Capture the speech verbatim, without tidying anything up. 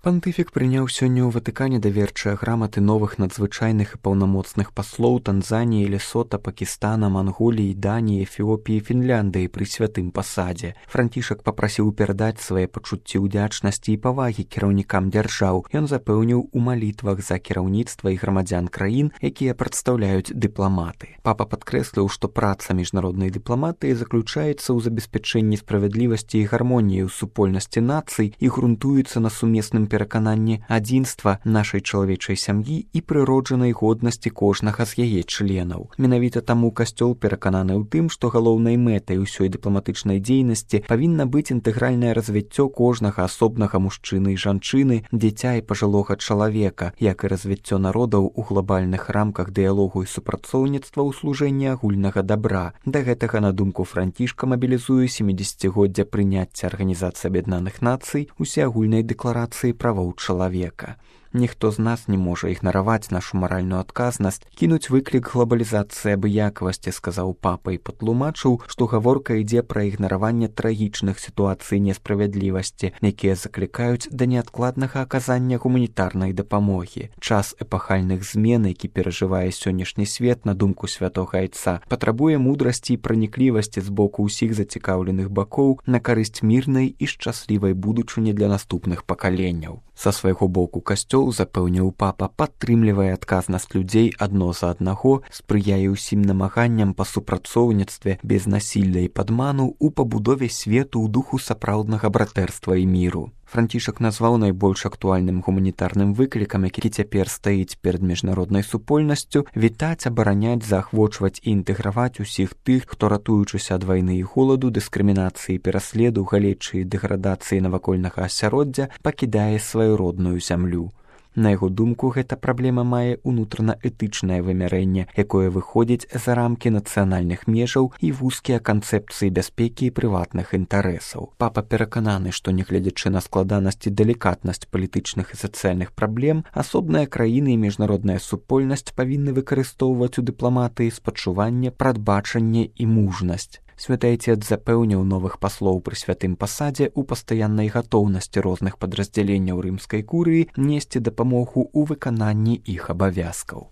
Пантыфік прыняў сёння ў Ватыкане даверчыя граматы новых надзвычайных і паўнамоцных паслоў Танзаніі, Лесота, Пакістана, Манголіі, Даніі, Эфіопіі, Фінляндыі пры святым пасадзе. Францішак папрасіў перадаць свае пачуцці ўдзячнасці і павагі кіраўнікам дзяржаў. Ён запэўніў у малітвах за кіраўніцтва і грамадзян краін, якія прадстаўляюць дыпламаты. Папа падкрэсліў, што праца міжнароднай дыпламатыі заключаецца ў забеспячэнні справядлівасці і гармоніі ў супольнасці нацый і грунтуецца на сумесным перакананні адзінства нашай чалавечай сям'і і прыроджанай годнасці кожнага з яе членаў. Менавіта таму касцёл перакананы ў тым, што галоўнай мэтай усёй дыпламатычнай дзейнасці павінна быць інтэгральнае развіццё кожнага асобнага мужчыны і жанчыны, дзіця і пажылога чалавека, як і развіццё народаў у глобальных рамках дыялогу і супрацоўніцтва ў служэнні агульнага дабра. Да гэтага, на думку Францішка, мабілізуе сямідзесяцігоддзя прыняцця Арганізацыі Аб'яднаных Нацый усеагульнай дэкларацыі правоў чалавека. Ніхто з нас не можа ігнараваць нашу маральную адказнасць, кінуць выклік глобалізацыі абыякавасці, сказаў папа і патлумачыў, што гаворка ідзе пра ігнараванне трагічных сітуацый несправядлівасці, якія заклікаюць да неадкладнага аказання гуманітарнай дапамогі. Час эпахальных змен, які перажывае сённяшні свет, на думку святога айца, патрабуе мудрасці і праніклівасці з боку ўсіх зацікаўленых бакоў на карысць мірнай і шчаслівай будучыні для наступных пакаленняў. Са свайго боку касцёл, запэўніў папа, падтрымлівае адказнасць людзей адно за аднаго, спрыяе ўсім намаганням па супрацоўніцтве без насілля і падману ў пабудове свету ў духу сапраўднага братэрства і міру. Францішак назваў найбольш актуальным гуманітарным выклікам, які цяпер стаіць перад міжнароднай супольнасцю, вітаць, абараняць, заахвочваць і інтэграваць усіх тых, хто, ратуючыся ад вайны і холаду, дыскрымінацыі, пераследу, галечы і дэградацыі навакольнага асяроддзя, пакідае сваю родную зямлю. На яго думку, гэта праблема мае унутрана-этычнае вымярэнне, якое выходзіць за рамкі нацыянальных межаў і вузкія канцэпцыі бяспекі і прыватных інтарэсаў. Папа перакананы, што, нягледзячы на складанасць і далікатнасць палітычных і сацыяльных праблем, асобныя краіны і міжнародная супольнасць павінны выкарыстоўваць у дыпламатыі спачуванне, прадбачанне і мужнасць. Святы Айцец запэўніў новых паслоў пры святым пасадзе ў пастаяннай гатоўнасці розных падраздзяленняў рымскай курыі несці дапамогу ў выкананні іх абавязкаў.